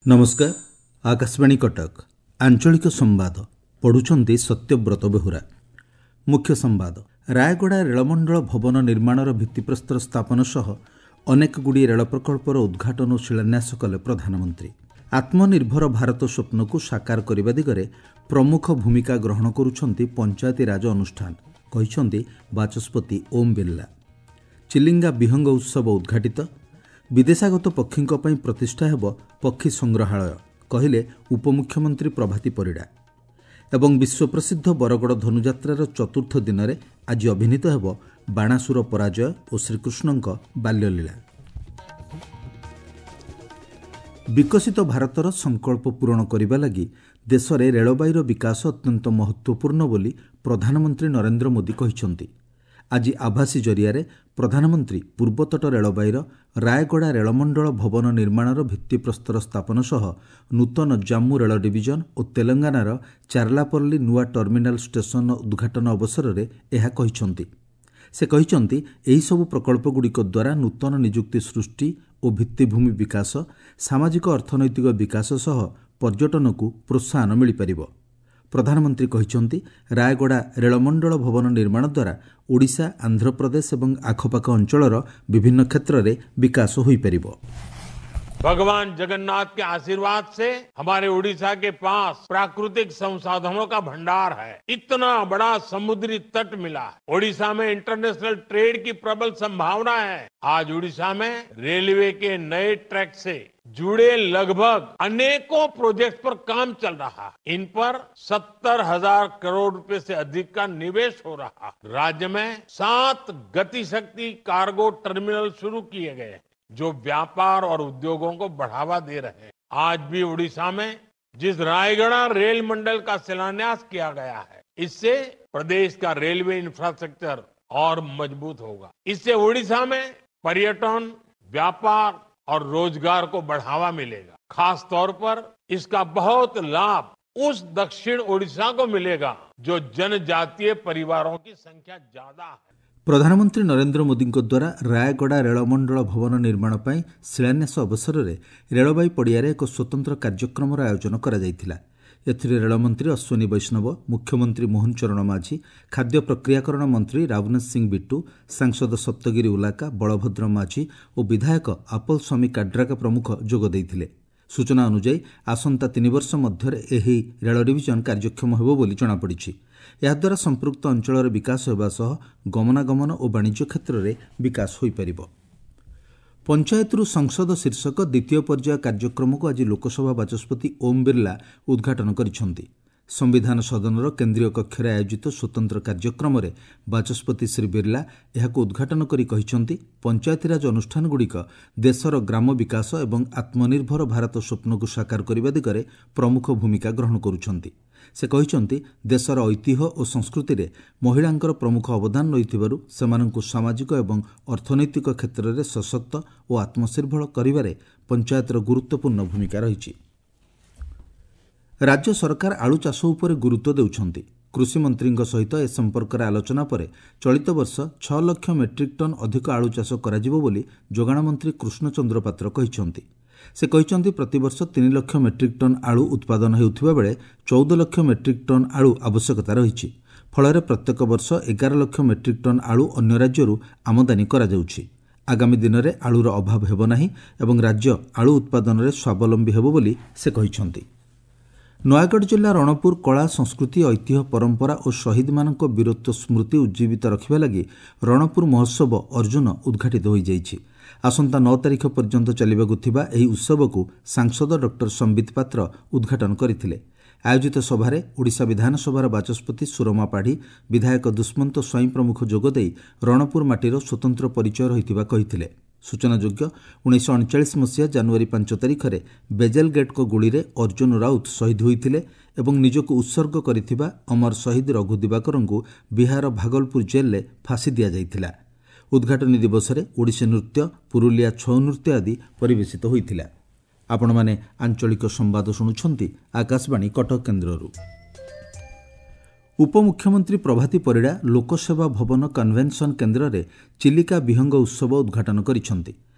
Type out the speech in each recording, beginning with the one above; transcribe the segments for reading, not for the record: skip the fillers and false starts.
ନମସ୍କାର, ଆକାଶବାଣୀ କଟକ, ଆଞ୍ଚଳିକ ସମ୍ବାଦ ପଢ଼ୁଛନ୍ତି ସତ୍ୟବ୍ରତ ବେହୁରା। ମୁଖ୍ୟ ସମ୍ବାଦ। ରାୟଗଡ଼ା ରେଳମଣ୍ଡଳ ଭବନ ନିର୍ମାଣର ଭିତ୍ତିପ୍ରସ୍ତର ସ୍ଥାପନ ସହ ଅନେକ ଗୁଡ଼ିଏ ରେଳ ପ୍ରକଳ୍ପର ଉଦ୍ଘାଟନ ଓ ଶିଳାନ୍ୟାସ କଲେ ପ୍ରଧାନମନ୍ତ୍ରୀ। ଆତ୍ମନିର୍ଭର ଭାରତ ସ୍ୱପ୍ନକୁ ସାକାର କରିବା ଦିଗରେ ପ୍ରମୁଖ ଭୂମିକା ଗ୍ରହଣ କରୁଛନ୍ତି ପଞ୍ଚାୟତିରାଜ ଅନୁଷ୍ଠାନ, କହିଛନ୍ତି ବାଚସ୍ପତି ଓମ୍ ବିର୍ଲା। ଚିଲିଙ୍ଗା ବିହଙ୍ଗ ଉତ୍ସବ ଉଦ୍ଘାଟିତ। ବିଦେଶାଗତ ପକ୍ଷୀଙ୍କ ପାଇଁ ପ୍ରତିଷ୍ଠା ହେବ ପକ୍ଷୀ ସଂଗ୍ରହାଳୟ, କହିଲେ ଉପମୁଖ୍ୟମନ୍ତ୍ରୀ ପ୍ରଭାତୀ ପରିଡ଼ା। ଏବଂ ବିଶ୍ୱପ୍ରସିଦ୍ଧ ବରଗଡ଼ ଧନୁଯାତ୍ରାର ଚତୁର୍ଥ ଦିନରେ ଆଜି ଅଭିନୀତ ହେବ ବାଣାସୁର ପରାଜୟ ଓ ଶ୍ରୀକୃଷ୍ଣଙ୍କ ବାଲ୍ୟଲୀଳା। ବିକଶିତ ଭାରତର ସଂକଳ୍ପ ପୂରଣ କରିବା ଲାଗି ଦେଶରେ ରେଳବାଇର ବିକାଶ ଅତ୍ୟନ୍ତ ମହତ୍ତ୍ୱପୂର୍ଣ୍ଣ ବୋଲି ପ୍ରଧାନମନ୍ତ୍ରୀ ନରେନ୍ଦ୍ର ମୋଦି କହିଛନ୍ତି। ଆଜି ଆଭାସୀ ଜରିଆରେ ପ୍ରଧାନମନ୍ତ୍ରୀ ପୂର୍ବତଟ ରେଳବାଇର ରାୟଗଡ଼ା ରେଳମଣ୍ଡଳ ଭବନ ନିର୍ମାଣର ଭିତ୍ତିପ୍ରସ୍ତର ସ୍ଥାପନ ସହ ନୂତନ ଜାମ୍ମୁ ରେଳ ଡିଭିଜନ ଓ ତେଲଙ୍ଗାନାର ଚାର୍ଲାପଲ୍ଲୀ ନୂଆ ଟର୍ମିନାଲ ଷ୍ଟେସନର ଉଦ୍ଘାଟନ ଅବସରରେ ଏହା କହିଛନ୍ତି। ସେ କହିଛନ୍ତି, ଏହିସବୁ ପ୍ରକଳ୍ପଗୁଡ଼ିକ ଦ୍ୱାରା ନୂତନ ନିଯୁକ୍ତି ସୃଷ୍ଟି ଓ ଭିତ୍ତିଭୂମି ବିକାଶ, ସାମାଜିକ ଅର୍ଥନୈତିକ ବିକାଶ ସହ ପର୍ଯ୍ୟଟନକୁ ପ୍ରୋତ୍ସାହନ ମିଳିପାରିବ। ପ୍ରଧାନମନ୍ତ୍ରୀ କହିଛନ୍ତି, ରାୟଗଡ଼ା ରେଳମଣ୍ଡଳ ଭବନ ନିର୍ମାଣ ଦ୍ୱାରା ଓଡ଼ିଶା, ଆନ୍ଧ୍ରପ୍ରଦେଶ ଏବଂ ଆଖପାଖ ଅଞ୍ଚଳର ବିଭିନ୍ନ କ୍ଷେତ୍ରରେ ବିକାଶ ହୋଇପାରିବ। भगवान जगन्नाथ के आशीर्वाद से हमारे ओडिशा के पास प्राकृतिक संसाधनों का भंडार है। इतना बड़ा समुद्री तट मिला है। ओडिशा में इंटरनेशनल ट्रेड की प्रबल संभावना है। आज ओडिशा में रेलवे के नए ट्रैक से जुड़े लगभग अनेकों प्रोजेक्ट पर काम चल रहा है। इन पर 70,000 करोड़ रुपए से अधिक का निवेश हो रहा है। राज्य में 7 गतिशक्ति कार्गो टर्मिनल शुरू किए गए हैं, जो व्यापार और उद्योगों को बढ़ावा दे रहे हैं। आज भी ओडिशा में जिस रायगढ़ रेल मंडल का शिलान्यास किया गया है, इससे प्रदेश का रेलवे इंफ्रास्ट्रक्चर और मजबूत होगा। इससे ओडिशा में पर्यटन, व्यापार और रोजगार को बढ़ावा मिलेगा। खास तौर पर इसका बहुत लाभ उस दक्षिण ओडिशा को मिलेगा जो जनजातीय परिवारों की संख्या ज्यादा है। ପ୍ରଧାନମନ୍ତ୍ରୀ ନରେନ୍ଦ୍ର ମୋଦିଙ୍କ ଦ୍ୱାରା ରାୟଗଡ଼ା ରେଳମଣ୍ଡଳ ଭବନ ନିର୍ମାଣ ପାଇଁ ଶିଳାନ୍ୟାସ ଅବସରରେ ରେଳବାଇ ପଡ଼ିଆରେ ଏକ ସ୍ୱତନ୍ତ୍ର କାର୍ଯ୍ୟକ୍ରମର ଆୟୋଜନ କରାଯାଇଥିଲା। ଏଥିରେ ରେଳମନ୍ତ୍ରୀ ଅଶ୍ୱିନୀ ବୈଷ୍ଣବ, ମୁଖ୍ୟମନ୍ତ୍ରୀ ମୋହନ ଚରଣ ମାଝୀ, ଖାଦ୍ୟ ପ୍ରକ୍ରିୟାକରଣ ମନ୍ତ୍ରୀ ରାବନେଶ ସିଂ ବିଟ୍ଟୁ, ସାଂସଦ ସପ୍ତଗିରି ଉଲାକା, ବଳଭଦ୍ର ମାଝୀ ଓ ବିଧାୟକ ଆପଲ ସ୍ୱାମୀ କାଡ୍ରାକା ପ୍ରମୁଖ ଯୋଗ ଦେଇଥିଲେ। ସୂଚନା ଅନୁଯାୟୀ, ଆସନ୍ତା 3 ବର୍ଷ ମଧ୍ୟରେ ଏହି ରେଳ ଡିଭିଜନ କାର୍ଯ୍ୟକ୍ଷମ ହେବ ବୋଲି ଜଣାପଡ଼ିଛି। ଏହାଦ୍ୱାରା ସମ୍ପୃକ୍ତ ଅଞ୍ଚଳର ବିକାଶ ହେବା ସହ ଗମନାଗମନ ଓ ବାଣିଜ୍ୟ କ୍ଷେତ୍ରରେ ବିକାଶ ହୋଇପାରିବ। ପଞ୍ଚାୟତରୁ ସଂସଦ ଶୀର୍ଷକ ଦ୍ୱିତୀୟ ପର୍ଯ୍ୟାୟ କାର୍ଯ୍ୟକ୍ରମକୁ ଆଜି ଲୋକସଭା ବାଚସ୍ପତି ଓମ୍ ବିର୍ଲା ଉଦ୍ଘାଟନ କରିଛନ୍ତି। ସମ୍ବିଧାନ ସଦନର କେନ୍ଦ୍ରୀୟ କକ୍ଷରେ ଆୟୋଜିତ ସ୍ୱତନ୍ତ୍ର କାର୍ଯ୍ୟକ୍ରମରେ ବାଚସ୍ପତି ଶ୍ରୀ ବିର୍ଲା ଏହାକୁ ଉଦ୍ଘାଟନ କରି କହିଛନ୍ତି, ପଞ୍ଚାୟତିରାଜ ଅନୁଷ୍ଠାନଗୁଡ଼ିକ ଦେଶର ଗ୍ରାମ ବିକାଶ ଏବଂ ଆତ୍ମନିର୍ଭର ଭାରତ ସ୍ୱପ୍ନକୁ ସାକାର କରିବା ଦିଗରେ ପ୍ରମୁଖ ଭୂମିକା ଗ୍ରହଣ କରୁଛନ୍ତି। ସେ କହିଛନ୍ତି, ଦେଶର ଐତିହ୍ୟ ଓ ସଂସ୍କୃତିରେ ମହିଳାଙ୍କର ପ୍ରମୁଖ ଅବଦାନ ରହିଥିବାରୁ ସେମାନଙ୍କୁ ସାମାଜିକ ଏବଂ ଅର୍ଥନୈତିକ କ୍ଷେତ୍ରରେ ସଶକ୍ତ ଓ ଆତ୍ମନିର୍ଭର କରିବାରେ ପଞ୍ଚାୟତର ଗୁରୁତ୍ୱପୂର୍ଣ୍ଣ ଭୂମିକା ରହିଛି। ରାଜ୍ୟ ସରକାର ଆଳୁ ଚାଷ ଉପରେ ଗୁରୁତ୍ୱ ଦେଉଛନ୍ତି। କୃଷିମନ୍ତ୍ରୀଙ୍କ ସହିତ ଏ ସମ୍ପର୍କରେ ଆଲୋଚନା ପରେ ଚଳିତ ବର୍ଷ 6 ଲକ୍ଷ ମେଟ୍ରିକ୍ ଟନ୍ ଅଧିକ ଆଳୁ ଚାଷ କରାଯିବ ବୋଲି ଯୋଗାଣ ମନ୍ତ୍ରୀ କୃଷ୍ଣଚନ୍ଦ୍ର ପାତ୍ର କହିଛନ୍ତି। ସେ କହିଛନ୍ତି, ପ୍ରତିବର୍ଷ 3 ଲକ୍ଷ ମେଟ୍ରିକ୍ ଟନ୍ ଆଳୁ ଉତ୍ପାଦନ ହେଉଥିବା ବେଳେ 14 ଲକ୍ଷ ମେଟ୍ରିକ୍ ଟନ୍ ଆଳୁ ଆବଶ୍ୟକତା ରହିଛି। ଫଳରେ ପ୍ରତ୍ୟେକ ବର୍ଷ 11 ଲକ୍ଷ ମେଟ୍ରିକ୍ ଟନ୍ ଆଳୁ ଅନ୍ୟ ରାଜ୍ୟରୁ ଆମଦାନୀ କରାଯାଉଛି। ଆଗାମୀ ଦିନରେ ଆଳୁର ଅଭାବ ହେବ ନାହିଁ ଏବଂ ରାଜ୍ୟ ଆଳୁ ଉତ୍ପାଦନରେ ସ୍ୱାବଲମ୍ବୀ ହେବ ବୋଲି ସେ କହିଛନ୍ତି। ନୟାଗଡ଼ ଜିଲ୍ଲା ରଣପୁର କଳା, ସଂସ୍କୃତି, ଐତିହ୍ୟ, ପରମ୍ପରା ଓ ଶହୀଦମାନଙ୍କ ବୀରତ୍ୱ ସ୍ମୃତି ଉଜ୍ଜୀବିତ ରଖିବା ଲାଗି ରଣପୁର ମହୋତ୍ସବ ଅର୍ଜୁନ ଉଦ୍ଘାଟିତ ହୋଇଯାଇଛି। ଆସନ୍ତା 9 ତାରିଖ ପର୍ଯ୍ୟନ୍ତ ଚାଲିବାକୁ ଥିବା ଏହି ଉତ୍ସବକୁ ସାଂସଦ ଡକ୍ଟର ସମ୍ବିତ ପାତ୍ର ଉଦ୍ଘାଟନ କରିଥିଲେ। ଆୟୋଜିତ ସଭାରେ ଓଡ଼ିଶା ବିଧାନସଭାର ବାଚସ୍ପତି ସୁରମା ପାଢ଼ୀ, ବିଧାୟକ ଦୁଷ୍ମନ୍ତ ସ୍ୱାଇଁ ପ୍ରମୁଖ ଯୋଗଦେଇ ରଣପୁର ମାଟିର ସ୍ୱତନ୍ତ୍ର ପରିଚୟ ରହିଥିବା କହିଥିଲେ। ସୂଚନାଯୋଗ୍ୟ, 1939 ମସିହା ଜାନୁଆରୀ 5 ତାରିଖରେ ବେଜେଲ ଗେଟ୍ଙ୍କ ଗୁଳିରେ ଅର୍ଜୁନ ରାଉତ ଶହୀଦ ହୋଇଥିଲେ ଏବଂ ନିଜକୁ ଉତ୍ସର୍ଗ କରିଥିବା ଅମର ଶହୀଦ ରଘୁ ଦିବାକରଙ୍କୁ ବିହାର ଭାଗଲପୁର ଜେଲ୍ରେ ଫାଶୀ ଦିଆଯାଇଥିଲା। ଉଦ୍ଘାଟନୀ ଦିବସରେ ଓଡ଼ିଶୀ ନୃତ୍ୟ, ପୁରୁଲିଆ ଛଉ ନୃତ୍ୟ ଆଦି ପରିବେଷିତ ହୋଇଥିଲା। ଆପଣମାନେ ଆଞ୍ଚଳିକ ସମ୍ବାଦ ଶୁଣୁଛନ୍ତି ଆକାଶବାଣୀ କଟକ କେନ୍ଦ୍ରରୁ। ଉପମୁଖ୍ୟମନ୍ତ୍ରୀ ପ୍ରଭାତୀ ପରିଡ଼ା ଲୋକସେବା ଭବନ କନଭେନସନ୍ କେନ୍ଦ୍ରରେ ଚିଲିକା ବିହଙ୍ଗ ଉତ୍ସବ ଉଦ୍ଘାଟନ କରିଛନ୍ତି।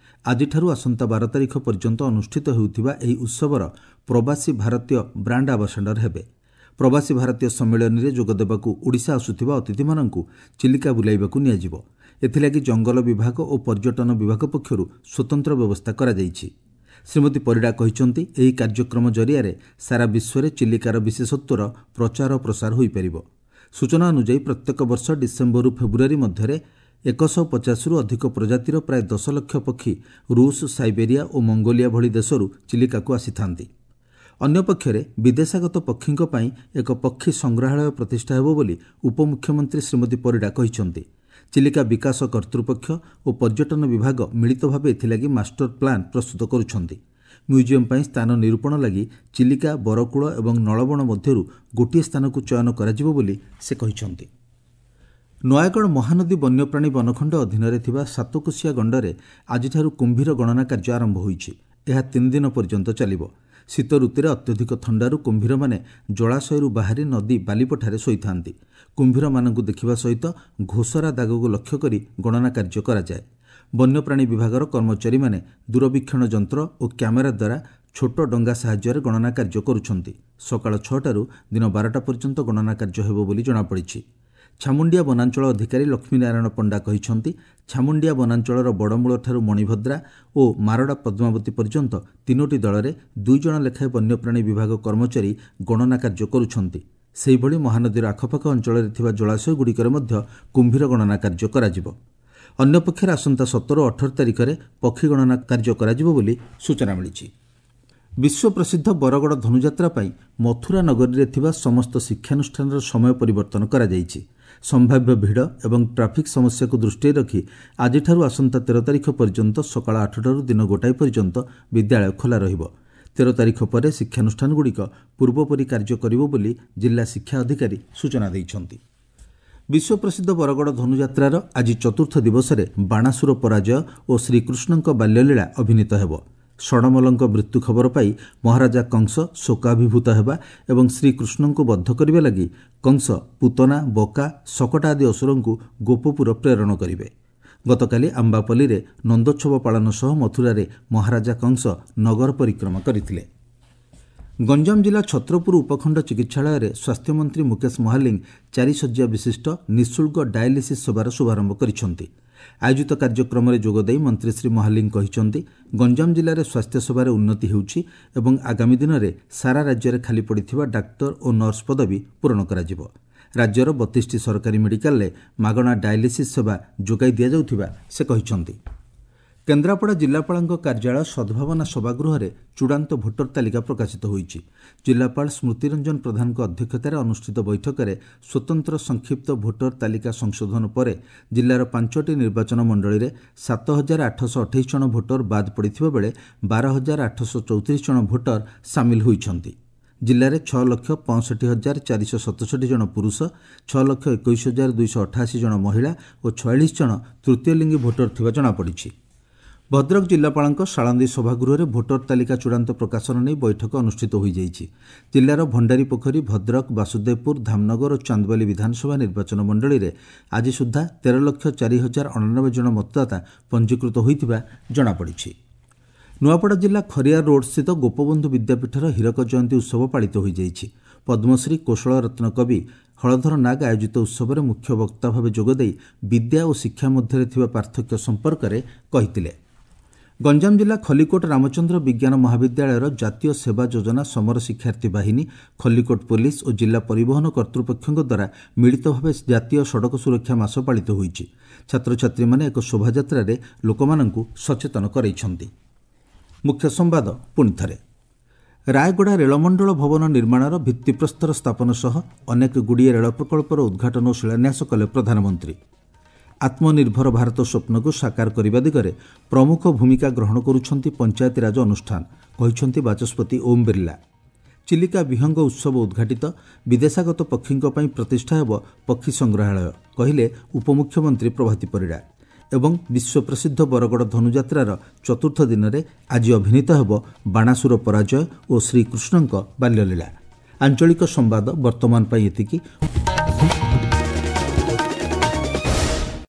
ଆଜିଠାରୁ ଆସନ୍ତା 12 ତାରିଖ ପର୍ଯ୍ୟନ୍ତ ଅନୁଷ୍ଠିତ ହେଉଥିବା ଏହି ଉତ୍ସବର ପ୍ରବାସୀ ଭାରତୀୟ ବ୍ରାଣ୍ଡ ଆମ୍ବାସାଡର ହେବେ। ପ୍ରବାସୀ ଭାରତୀୟ ସମ୍ମିଳନୀରେ ଯୋଗଦେବାକୁ ଓଡ଼ିଶା ଆସୁଥିବା ଅତିଥିମାନଙ୍କୁ ଚିଲିକା ବୁଲାଇବାକୁ ନିଆଯିବ। ଏଥିଲାଗି ଜଙ୍ଗଲ ବିଭାଗ ଓ ପର୍ଯ୍ୟଟନ ବିଭାଗ ପକ୍ଷରୁ ସ୍ୱତନ୍ତ୍ର ବ୍ୟବସ୍ଥା କରାଯାଇଛି। ଶ୍ରୀମତୀ ପରିଡ଼ା କହିଛନ୍ତି, ଏହି କାର୍ଯ୍ୟକ୍ରମ ଜରିଆରେ ସାରା ବିଶ୍ୱରେ ଚିଲିକାର ବିଶେଷତ୍ୱର ପ୍ରଚାର ଓ ପ୍ରସାର ହୋଇପାରିବ। ସୂଚନା ଅନୁଯାୟୀ, ପ୍ରତ୍ୟେକ ବର୍ଷ ଡିସେମ୍ବରରୁ ଫେବୃଆରୀ ମଧ୍ୟରେ 150ରୁ ଅଧିକ ପ୍ରଜାତିର ପ୍ରାୟ 10 ଲକ୍ଷ ପକ୍ଷୀ ରୁଷ, ସାଇବେରିଆ ଓ ମଙ୍ଗୋଲିଆ ଭଳି ଦେଶରୁ ଚିଲିକାକୁ ଆସିଥାନ୍ତି। ଅନ୍ୟପକ୍ଷରେ ବିଦେଶାଗତ ପକ୍ଷୀଙ୍କ ପାଇଁ ଏକ ପକ୍ଷୀ ସଂଗ୍ରହାଳୟ ପ୍ରତିଷ୍ଠା ହେବ ବୋଲି ଉପମୁଖ୍ୟମନ୍ତ୍ରୀ ଶ୍ରୀମତୀ ପରିଡ଼ା କହିଛନ୍ତି। ଚିଲିକା ବିକାଶ କର୍ତ୍ତୃପକ୍ଷ ଓ ପର୍ଯ୍ୟଟନ ବିଭାଗ ମିଳିତ ଭାବେ ଏଥିଲାଗି ମାଷ୍ଟର ପ୍ଲାନ୍ ପ୍ରସ୍ତୁତ କରୁଛନ୍ତି। ମ୍ୟୁଜିୟମ୍ ପାଇଁ ସ୍ଥାନ ନିରୂପଣ ଲାଗି ଚିଲିକା, ବରକୂଳ ଏବଂ ନଳବଣ ମଧ୍ୟରୁ ଗୋଟିଏ ସ୍ଥାନକୁ ଚୟନ କରାଯିବ ବୋଲି ସେ କହିଛନ୍ତି। ନୟାଗଡ଼ ମହାନଦୀ ବନ୍ୟପ୍ରାଣୀ ବନଖଣ୍ଡ ଅଧୀନରେ ଥିବା ସାତକୋଶିଆ ଗଣ୍ଡରେ ଆଜିଠାରୁ କୁମ୍ଭୀର ଗଣନା କାର୍ଯ୍ୟ ଆରମ୍ଭ ହୋଇଛି। ଏହା 3 ଦିନ ପର୍ଯ୍ୟନ୍ତ ଚାଲିବ। ଶୀତ ଋତୁରେ ଅତ୍ୟଧିକ ଥଣ୍ଡାରୁ କୁମ୍ଭୀରମାନେ ଜଳାଶୟରୁ ବାହାରି ନଦୀ ବାଲିପଠାରେ ଶୋଇଥାନ୍ତି। କୁମ୍ଭୀରମାନଙ୍କୁ ଦେଖିବା ସହିତ ଘୋଷରା ଦାଗକୁ ଲକ୍ଷ୍ୟ କରି ଗଣନା କାର୍ଯ୍ୟ କରାଯାଏ। ବନ୍ୟପ୍ରାଣୀ ବିଭାଗର କର୍ମଚାରୀମାନେ ଦୂରବୀକ୍ଷଣ ଯନ୍ତ୍ର ଓ କ୍ୟାମେରା ଦ୍ୱାରା ଛୋଟ ଡଙ୍ଗା ସାହାଯ୍ୟରେ ଗଣନା କାର୍ଯ୍ୟ କରୁଛନ୍ତି। ସକାଳ 6ଟାରୁ ଦିନ 12ଟା ପର୍ଯ୍ୟନ୍ତ ଗଣନା କାର୍ଯ୍ୟ ହେବ ବୋଲି ଜଣାପଡ଼ିଛି। ଛାମୁଣ୍ଡିଆ ବନାଞ୍ଚଳ ଅଧିକାରୀ ଲକ୍ଷ୍ମୀନାରାୟଣ ପଣ୍ଡା କହିଛନ୍ତି, ଛାମୁଣ୍ଡିଆ ବନାଞ୍ଚଳର ବଡ଼ମୂଳଠାରୁ ମଣିଭଦ୍ରା ଓ ମାରଡ଼ା ପଦ୍ମାବତୀ ପର୍ଯ୍ୟନ୍ତ 3ଟି ଦଳରେ 2 ଜଣ ଲେଖାଏଁ ବନ୍ୟପ୍ରାଣୀ ବିଭାଗ କର୍ମଚାରୀ ଗଣନା କାର୍ଯ୍ୟ କରୁଛନ୍ତି। ସେହିଭଳି ମହାନଦୀର ଆଖପାଖ ଅଞ୍ଚଳରେ ଥିବା ଜଳାଶୟଗୁଡ଼ିକରେ ମଧ୍ୟ କୁମ୍ଭୀର ଗଣନା କାର୍ଯ୍ୟ କରାଯିବ। ଅନ୍ୟପକ୍ଷରେ ଆସନ୍ତା 17 ଓ 18 ତାରିଖରେ ପକ୍ଷୀ ଗଣନା କାର୍ଯ୍ୟ କରାଯିବ ବୋଲି ସୂଚନା ମିଳିଛି। ବିଶ୍ୱପ୍ରସିଦ୍ଧ ବରଗଡ଼ ଧନୁଯାତ୍ରା ପାଇଁ ମଥୁରା ନଗରୀରେ ଥିବା ସମସ୍ତ ଶିକ୍ଷାନୁଷ୍ଠାନର ସମୟ ପରିବର୍ତ୍ତନ କରାଯାଇଛି। ସମ୍ଭାବ୍ୟ ଭିଡ଼ ଏବଂ ଟ୍ରାଫିକ୍ ସମସ୍ୟାକୁ ଦୃଷ୍ଟିରେ ରଖି ଆଜିଠାରୁ ଆସନ୍ତା 13 ତାରିଖ ପର୍ଯ୍ୟନ୍ତ ସକାଳ 8ଟାରୁ ଦିନ 1 ପର୍ଯ୍ୟନ୍ତ ବିଦ୍ୟାଳୟ ଖୋଲା ରହିବ। 13 ତାରିଖ ପରେ ଶିକ୍ଷାନୁଷ୍ଠାନଗୁଡ଼ିକ ପୂର୍ବପରି କାର୍ଯ୍ୟ କରିବ ବୋଲି ଜିଲ୍ଲା ଶିକ୍ଷା ଅଧିକାରୀ ସୂଚନା ଦେଇଛନ୍ତି। ବିଶ୍ୱପ୍ରସିଦ୍ଧ ବରଗଡ଼ ଧନୁଯାତ୍ରାର ଆଜି ଚତୁର୍ଥ ଦିବସରେ ବାଣାସୁର ପରାଜୟ ଓ ଶ୍ରୀକୃଷ୍ଣଙ୍କ ବାଲ୍ୟଲୀଳା ଅଭିନୀତ ହେବ। ଷଡ଼ମଲଙ୍କ ମୃତ୍ୟୁ ଖବର ପାଇ ମହାରାଜା କଂସ ଶୋକାଭିଭୂତ ହେବା ଏବଂ ଶ୍ରୀକୃଷ୍ଣଙ୍କୁ ବଦ୍ଧ କରିବା ଲାଗି କଂସ ପୁତନା, ବକା, ଶକଟା ଆଦି ଅସୁରଙ୍କୁ ଗୋପପୁର ପ୍ରେରଣ କରିବେ। ଗତକାଲି ଆମ୍ବାପଲ୍ଲୀରେ ନନ୍ଦୋତ୍ସବ ପାଳନ ସହ ମଥୁରାରେ ମହାରାଜା କଂସ ନଗର ପରିକ୍ରମା କରିଥିଲେ। ଗଞ୍ଜାମ ଜିଲ୍ଲା ଛତ୍ରପୁର ଉପଖଣ୍ଡ ଚିକିତ୍ସାଳୟରେ ସ୍ୱାସ୍ଥ୍ୟମନ୍ତ୍ରୀ ମୁକେଶ ମହାଲିଙ୍ଗ 4 ଶଯ୍ୟା ବିଶିଷ୍ଟ ନିଃଶୁଳ୍କ ଡାୟାଲିସିସ୍ ସେବାର ଶୁଭାରମ୍ଭ କରିଛନ୍ତି। ଆୟୋଜିତ କାର୍ଯ୍ୟକ୍ରମରେ ଯୋଗଦେଇ ମନ୍ତ୍ରୀ ଶ୍ରୀ ମହାଲିଙ୍ଗ କହିଛନ୍ତି, ଗଞ୍ଜାମ ଜିଲ୍ଲାରେ ସ୍ୱାସ୍ଥ୍ୟସେବାରେ ଉନ୍ନତି ହେଉଛି ଏବଂ ଆଗାମୀ ଦିନରେ ସାରା ରାଜ୍ୟରେ ଖାଲି ପଡ଼ିଥିବା ଡାକ୍ତର ଓ ନର୍ସ ପଦବୀ ପୂରଣ କରାଯିବ। ରାଜ୍ୟର 32ଟି ସରକାରୀ ମେଡିକାଲରେ ମାଗଣା ଡାୟାଲିସିସ୍ ସେବା ଯୋଗାଇ ଦିଆଯାଉଥିବା ସେ କହିଛନ୍ତି। କେନ୍ଦ୍ରାପଡ଼ା ଜିଲ୍ଲାପାଳଙ୍କ କାର୍ଯ୍ୟାଳୟ ସଦ୍ଭାବନା ସଭାଗୃହରେ ଚୂଡ଼ାନ୍ତ ଭୋଟର ତାଲିକା ପ୍ରକାଶିତ ହୋଇଛି। ଜିଲ୍ଲାପାଳ ସ୍ମୃତିରଞ୍ଜନ ପ୍ରଧାନଙ୍କ ଅଧ୍ୟକ୍ଷତାରେ ଅନୁଷ୍ଠିତ ବୈଠକରେ ସ୍ୱତନ୍ତ୍ର ସଂକ୍ଷିପ୍ତ ଭୋଟର ତାଲିକା ସଂଶୋଧନ ପରେ ଜିଲ୍ଲାର 5ଟି ନିର୍ବାଚନ ମଣ୍ଡଳୀରେ 7828 ଜଣ ଭୋଟର ବାଦ୍ ପଡ଼ିଥିବା ବେଳେ 12834 ଜଣ ଭୋଟର ସାମିଲ ହୋଇଛନ୍ତି। ଜିଲ୍ଲାରେ 6,65,467 ଜଣ ପୁରୁଷ, 6,21,288 ଜଣ ମହିଳା ଓ 46 ଜଣ ତୃତୀୟ ଲିଙ୍ଗୀ ଭୋଟର ଥିବା ଜଣାପଡ଼ିଛି। ଭଦ୍ରକ ଜିଲ୍ଲାପାଳଙ୍କ ସାଳନ୍ଦୀ ସଭାଗୃହରେ ଭୋଟର ତାଲିକା ଚୂଡ଼ାନ୍ତ ପ୍ରକାଶନ ନେଇ ବୈଠକ ଅନୁଷ୍ଠିତ ହୋଇଯାଇଛି। ଜିଲ୍ଲାର ଭଣ୍ଡାରୀପୋଖରୀ, ଭଦ୍ରକ, ବାସୁଦେବପୁର, ଧାମନଗର ଓ ଚାନ୍ଦବାଲି ବିଧାନସଭା ନିର୍ବାଚନ ମଣ୍ଡଳୀରେ ଆଜି ସୁଦ୍ଧା 13,04,089 ଜଣ ମତଦାତା ପଞ୍ଜୀକୃତ ହୋଇଥିବା ଜଣାପଡ଼ିଛି। ନୂଆପଡ଼ା ଜିଲ୍ଲା ଖରିଆର ରୋଡ୍ସ୍ଥିତ ଗୋପବନ୍ଧୁ ବିଦ୍ୟାପୀଠର ହୀରକ ଜୟନ୍ତୀ ଉତ୍ସବ ପାଳିତ ହୋଇଯାଇଛି। ପଦ୍ମଶ୍ରୀ କୋଶଳ ରତ୍ନ କବି ହଳଧର ନାଗ ଆୟୋଜିତ ଉତ୍ସବରେ ମୁଖ୍ୟ ବକ୍ତା ଭାବେ ଯୋଗଦେଇ ବିଦ୍ୟା ଓ ଶିକ୍ଷା ମଧ୍ୟରେ ଥିବା ପାର୍ଥକ୍ୟ ସମ୍ପର୍କରେ କହିଥିଲେ। ଗଞ୍ଜାମ ଜିଲ୍ଲା ଖଲିକୋଟ ରାମଚନ୍ଦ୍ର ବିଜ୍ଞାନ ମହାବିଦ୍ୟାଳୟର ଜାତୀୟ ସେବା ଯୋଜନା ସମର ଶିକ୍ଷାର୍ଥୀ ବାହିନୀ, ଖଲିକୋଟ ପୋଲିସ ଓ ଜିଲ୍ଲା ପରିବହନ କର୍ତ୍ତୃପକ୍ଷଙ୍କ ଦ୍ୱାରା ମିଳିତ ଭାବେ ଜାତୀୟ ସଡ଼କ ସୁରକ୍ଷା ମାସ ପାଳିତ ହୋଇଛି। ଛାତ୍ରଛାତ୍ରୀମାନେ ଏକ ଶୋଭାଯାତ୍ରାରେ ଲୋକମାନଙ୍କୁ ସଚେତନ କରାଇଛନ୍ତି। ମୁଖ୍ୟ ସମ୍ବାଦ ପୁଣି ଥରେ। ରାୟଗଡ଼ା ରେଳମଣ୍ଡଳ ଭବନ ନିର୍ମାଣର ଭିତ୍ତିପ୍ରସ୍ତର ସ୍ଥାପନ ସହ ଅନେକ ଗୁଡ଼ିଏ ରେଳ ପ୍ରକଳ୍ପର ଉଦ୍ଘାଟନ ଓ ଶିଳାନ୍ୟାସ କଲେ ପ୍ରଧାନମନ୍ତ୍ରୀ। ଆତ୍ମନିର୍ଭର ଭାରତ ସ୍ୱପ୍ନକୁ ସାକାର କରିବା ଦିଗରେ ପ୍ରମୁଖ ଭୂମିକା ଗ୍ରହଣ କରୁଛନ୍ତି ପଞ୍ଚାୟତିରାଜ ଅନୁଷ୍ଠାନ, କହିଛନ୍ତି ବାଚସ୍ପତି ଓମ୍ ବିର୍ଲା। ଚିଲିକା ବିହଙ୍ଗ ଉତ୍ସବ ଉଦ୍ଘାଟିତ, ବିଦେଶାଗତ ପକ୍ଷୀଙ୍କ ପାଇଁ ପ୍ରତିଷ୍ଠା ହେବ ପକ୍ଷୀ ସଂଗ୍ରହାଳୟ, କହିଲେ ଉପମୁଖ୍ୟମନ୍ତ୍ରୀ ପ୍ରଭାତୀ ପରିଡ଼ା। ଏବଂ ବିଶ୍ୱପ୍ରସିଦ୍ଧ ବରଗଡ଼ ଧନୁଯାତ୍ରାର ଚତୁର୍ଥ ଦିନରେ ଆଜି ଅଭିନୀତ ହେବ ବାଣାସୁର ପରାଜୟ ଓ ଶ୍ରୀକୃଷ୍ଣଙ୍କ ବାଲ୍ୟଲୀଳା। ଆଞ୍ଚଳିକ ସମ୍ବାଦ ବର୍ତ୍ତମାନ ପାଇଁ ଏତିକି।